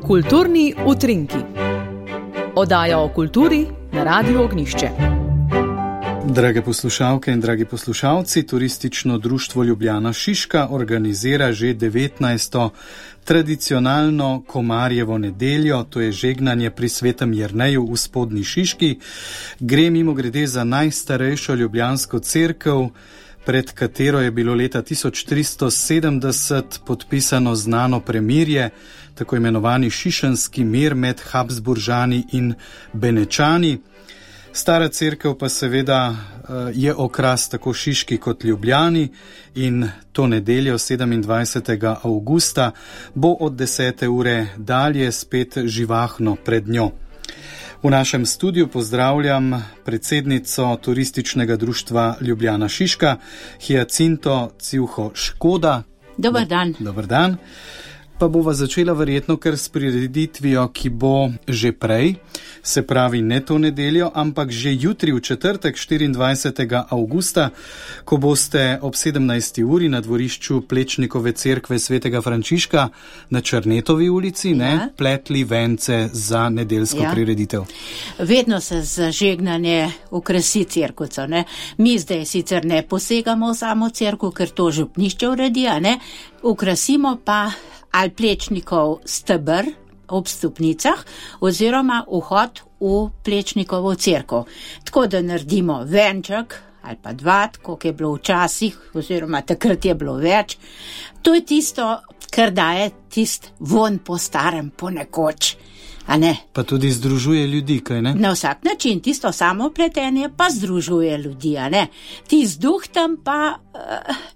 Kulturni utrinki. Oddaja o kulturi na Radiu Ognjišče. Drage poslušalke in dragi poslušalci, Turistično društvo Ljubljana Šiška organizira že 19. tradicionalno Komarjevo nedeljo, to je žegnanje pri Svetem Jerneju v Spodnji Šiški. Gre mimogrede za najstarejšo ljubljansko cerkev, pred katero je bilo leta 1370 podpisano znano premirje, tako imenovani šišenski mir med Habsburžani in Benečani. Stara cerkev pa seveda je okras tako Šiški kot Ljubljani in to nedeljo 27. avgusta bo od 10. ure dalje spet živahno pred njo. V našem studiu pozdravljam predsednico Turističnega društva Ljubljana Šiška, Hyacinto Civho Škoda. Dobar dan. Dobar dan. Pa bova začela verjetno kar s prireditvijo, ki bo že prej, se pravi ne to nedeljo, ampak že jutri v četrtek 24. avgusta, ko boste ob 17. uri na dvorišču Plečnikove cerkve Svetega Frančiška na Črnetovi ulici pletli vence za nedeljsko prireditev. Vedno se za žegnanje okrasi cerkvico. Mi zdaj sicer ne posegamo v samo cerkev, ker to župnišče uredi, okrasimo pa ali Plečnikov steber ob stopnicah oziroma vhod v Plečnikovo cerkev. Tako da naredimo venček ali pa dva, koliko je bilo včasih, oziroma takrat je bilo več. To je tisto, kar daje tist von po starem, po nekoč. Pa tudi združuje ljudi, kaj ne? Na vsak način, tisto samo pletenje pa združuje ljudi, Tist duh tam pa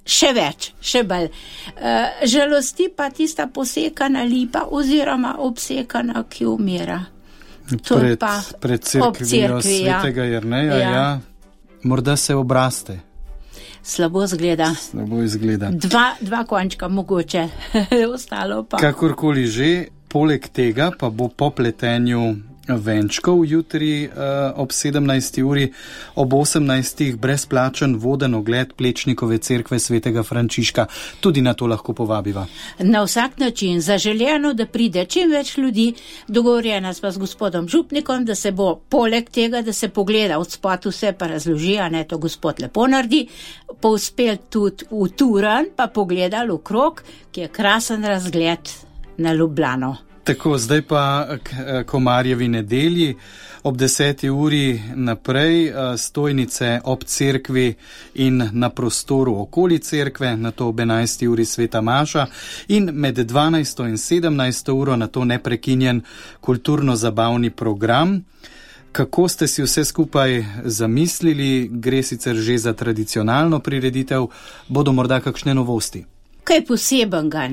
še več, še bolj. Žalosti pa tista posekana lipa oziroma obsekana, ki umira. Pred cerkvijo Svetega Jerneja, morda se obraste. Slabo izgleda. Dva končka mogoče, ostalo pa. Kakorkoli že, poleg tega pa bo po pletenju venčkov jutri ob 17. uri, ob 18. brezplačen voden ogled Plečnikove cerkve Svetega Frančiška. Tudi na to lahko povabiva. Na vsak način, zaželjeno, da pride čim več ljudi, dogovorjena sva z gospodom župnikom, da se bo poleg tega, da se pogleda od spod vse pa razloži, to gospod lepo naredi, povspel tudi v Turan, pa pogledal okrog, ki je krasen razgled na Ljubljano. Tako, zdaj pa k Komarjevi nedelji. Ob 10. uri naprej stojnice ob cerkvi in na prostoru okoli cerkve, nato ob 11. uri sveta maša in med 12. in 17. uro nato neprekinjen kulturno-zabavni program. Kako ste si vse skupaj zamislili? Gre sicer že za tradicionalno prireditev, bodo morda kakšne novosti? Kaj posebenega,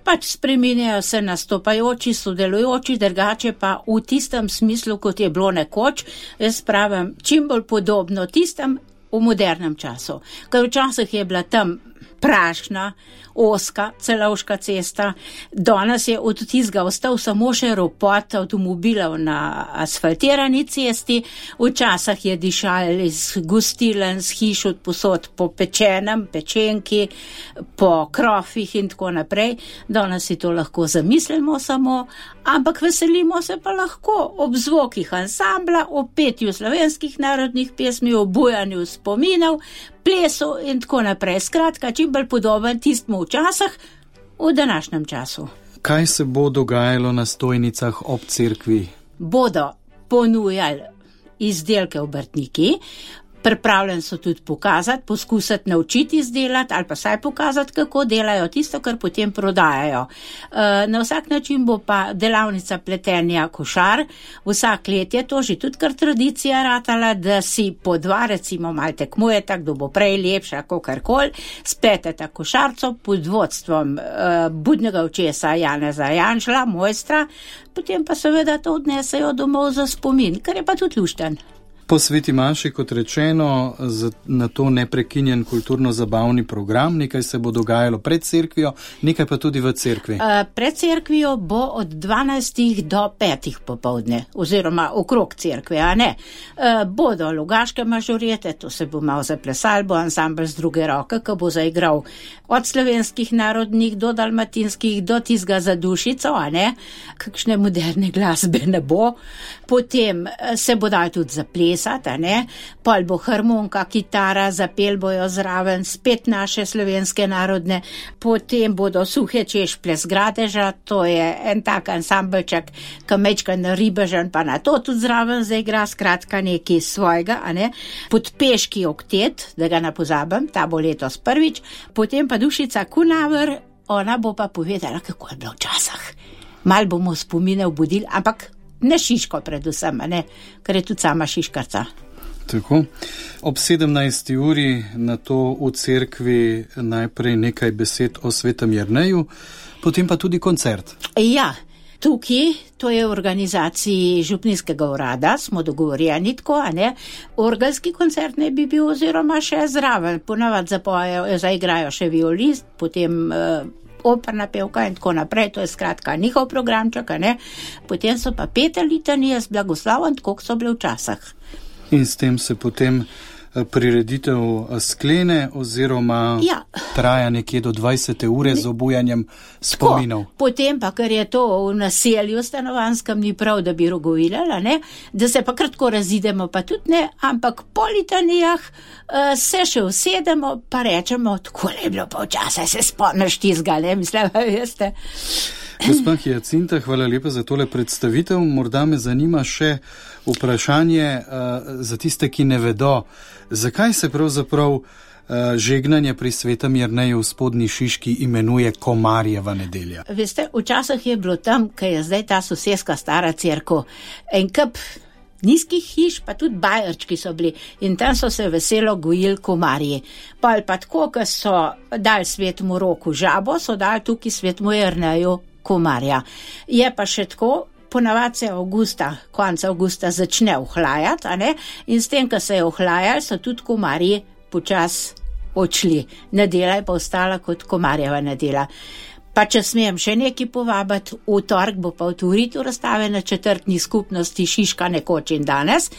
Pač spreminjajo se nastopajoči, sodelujoči, drugače pa v tistem smislu, kot je bilo nekoč, jaz pravim, čim bolj podobno tistem v modernem času. Ker včasih je bila tam prašna, oska, celovška cesta, danes je od tistega ostal samo še ropot avtomobilov na asfaltirani cesti, včasih je dišal iz gostilen, z hiš od posod po pečenem, pečenki, po krofih in tako naprej. Danes si to lahko zamislimo samo, ampak veselimo se pa lahko ob zvokih ansambla, ob petju slovenskih narodnih pesmi, ob bujanju spominov, plesu in tako naprej. Skratka, čim bolj podoben tistmu včasih v današnjem času. Kaj se bo dogajalo na stojnicah ob cerkvi? Bodo ponujali izdelke obrtniki, pripravljeni so tudi pokazati, poskusiti naučiti izdelati ali pa saj pokazati, kako delajo tisto, kar potem prodajajo. Na vsak način bo pa delavnica pletenja košar. Vsak let je to že tudi kar tradicija ratala, da si po dva recimo malo tekmujeta, kdo bo prej lepša, kakorkoli, spleteta košarco pod vodstvom budnega očesa Janeza Janšla, mojstra, potem pa seveda to odnesejo domov za spomin, kar je pa tudi lušten. Po Sveti maši, kot rečeno, na to neprekinjen kulturno-zabavni program, nekaj se bo dogajalo pred cerkvijo, nekaj pa tudi v cerkvi. Pred cerkvijo bo od 12 do 5 popoldne, oziroma okrog cerkve, a ne. Bodo lugaške mažorete, to se bo malo zaplesal, bo ansambl z druge roke, ki bo zaigral od slovenskih narodnih do dalmatinskih, do tizga za dušico, a ne. Kakšne moderne glasbe ne bo. Potem se bo dal tudi zaplesati, a ne. Pol bo harmonika, kitara, zapel bojo zraven, spet naše slovenske narodne. Potem bodo suhe češplje z Gradeža, to je en tak ansambelček, ki mečka na ribežen, pa na to tudi zraven zaigra, skratka nekaj svojega, a ne. Podpeški oktet, da ga ne pozabim, ta bo letos prvič. Potem pa Dušica Kunaver, ona bo pa povedala, kako je bilo v časah. Mal bomo spomine obudili, ampak ne Šiško predvsem, ne, ker je tudi sama Šiškarca. Tako. Ob 17. uri na to v cerkvi najprej nekaj besed o Svetem Jerneju, potem pa tudi koncert. Ja, tukaj, to je v organizaciji župnijskega urada, smo dogovorjeni tako, a ne, orgelski koncert ne bi bil oziroma še zraven, ponavad zaigrajo še violist, potem operna pevka in tako naprej, to je skratka njihov programček, ne. Potem so pa pete litanije z blagoslovom, tako so bile v časah. In s tem se potem prireditev sklene oziroma traja nekje do 20. ure z obujanjem spominov. Tako, potem pa, ker je to v naselju stanovanskem, ni prav, da bi rogovilala, ne, da se pa kratko razidemo, pa tudi ne, ampak po litanijah se še usedemo, pa rečemo, tako je bilo pa včasih, se spomniš tizga, ne, mislim, veste. Gospa Hjacinta, hvala lepa za tole predstavitev. Morda me zanima še vprašanje za tiste, ki ne vedo, zakaj se pravzaprav žegnanje pri Svetem Jerneju v Spodnji Šiški imenuje Komarjeva nedelja. Veste, včasih je bilo tam, ker je zdaj ta soseska stara cerkev, en kup nizkih hiš, pa tudi bajerčki so bili in tam so se veselo gojili komarji. Pa tako, ker so dali Svetemu Roku žabo, so dali tukaj Svetemu Jerneju komarja. Je pa še tako, ponavadi se konec avgusta začne ohlajati, a ne, in s tem, ko se je ohlajali, so tudi komarji počas odšli. Nedela je pa ostala kot Komarjeva nedela. Pa če smem še nekaj povabiti, v torek bo pa otvoritev razstave na četrtni skupnosti Šiška nekoč in danes.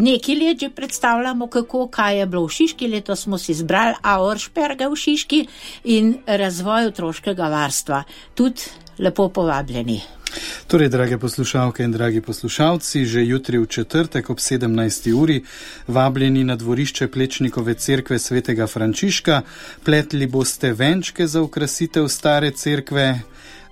Nekaj let že predstavljamo, kaj je bilo v Šiški, letos smo si izbrali Auersperge v Šiški in razvoj otroškega varstva. Tudi lepo povabljeni. Torej, drage poslušalke in dragi poslušalci, že jutri v četrtek ob 17. uri vabljeni na dvorišče Plečnikove cerkve svetega Frančiška. Pletli boste venčke za okrasitev stare cerkve,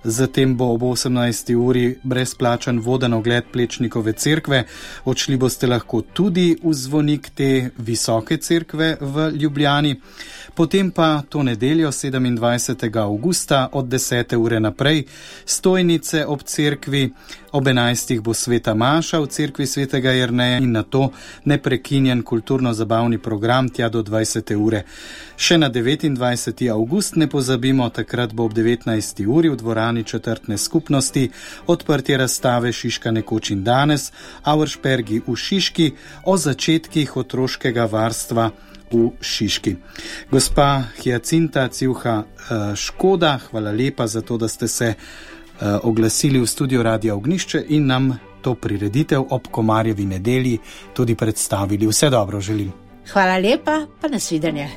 zatem bo ob 18. uri brezplačan voden ogled Plečnikove cerkve. Odšli boste lahko tudi v zvonik te visoke cerkve v Ljubljani. Potem pa to nedeljo 27. augusta od 10. ure naprej stojnice ob cerkvi, ob 11. bo sveta maša v cerkvi svetega Jerneja in na to neprekinjen kulturno-zabavni program tja do 20. ure. Še na 29. august ne pozabimo, takrat bo ob 19. uri v dvorani četrtne skupnosti odprtje razstave Šiška nekoč in danes, Auerspergi v Šiški o začetkih otroškega varstva v Šiški. Gospa Hjacinta Civha Škoda, hvala lepa za to, da ste se oglasili v studio Radia Ognjišče in nam to prireditev ob Komarjevi nedelji tudi predstavili. Vse dobro želim. Hvala lepa, pa nasvidenje.